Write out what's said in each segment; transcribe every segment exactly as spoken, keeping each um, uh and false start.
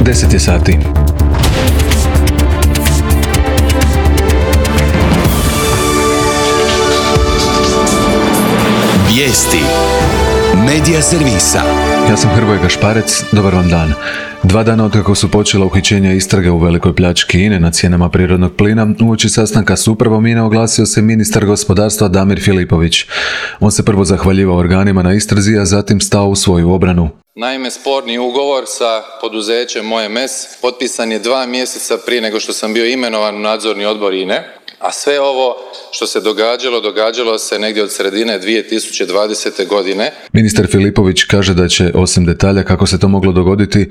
deset je sati. Vijesti Medija servisa. Ja sam Hrvoje Gašparec, dobar vam dan. Dva dana otkako su počela uhićenja istrage u velikoj pljački I N E na cijenama prirodnog plina, uoči sastanka s upravom I N E oglasio se ministar gospodarstva Damir Filipović. On se prvo zahvaljivao organima na istrazi, a zatim stao u svoju obranu. Naime, sporni ugovor sa poduzećem O M S potpisan je dva mjeseca prije nego što sam bio imenovan u nadzorni odbor I N E, a sve ovo što se događalo, događalo se negdje od sredine dvije tisuće dvadesete. godine. Ministar Filipović kaže da će, osim detalja kako se to moglo dogoditi,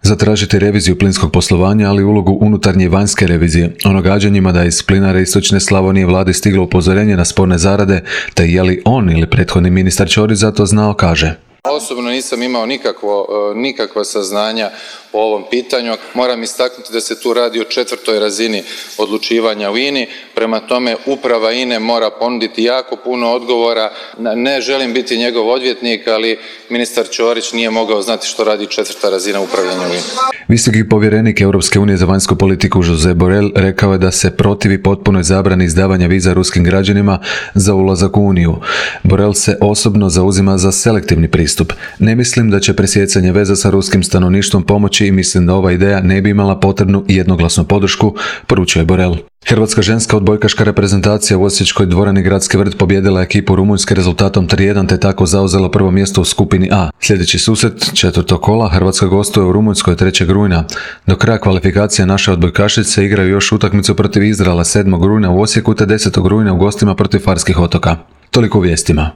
zatražiti reviziju plinskog poslovanja, ali ulogu unutarnje i vanjske revizije, o nagađanjima da iz plinara Istočne Slavonije vladi stiglo upozorenje na sporne zarade, te je li on ili prethodni ministar Ćorić za to znao, kaže. Osobno nisam imao nikakvo, nikakva saznanja po ovom pitanju. Moram istaknuti da se tu radi o četvrtoj razini odlučivanja u I N I. Prema tome, uprava I N E mora ponuditi jako puno odgovora. Ne želim biti njegov odvjetnik, ali ministar Ćorić nije mogao znati što radi četvrta razina upravljanja u I N I. Visoki povjerenik Europske unije za vanjsku politiku Josep Borrell rekao je da se protivi potpunoj zabrani izdavanja viza ruskim građanima za ulazak u Uniju. Borrell se osobno zauzima za selektivni pristup. Ne mislim da će presjecanje veza sa ruskim stanovništvom pomoći i mislim da ova ideja ne bi imala potrebnu i jednoglasnu podršku, poručuje Borrell. Hrvatska ženska odbojkaška reprezentacija u osječkoj dvorani Gradski vrt pobijedila ekipu Rumunjske rezultatom tri jedan te tako zauzela prvo mjesto u skupini A. Sljedeći susret četvrtog kola Hrvatska gostuje u Rumunjskoj trećeg rujna. Do kraja kvalifikacije naše odbojkašice igraju još utakmicu protiv Izraela sedmog rujna u Osijeku te desetog rujna u gostima protiv Farskih otoka. Toliko u vijestima.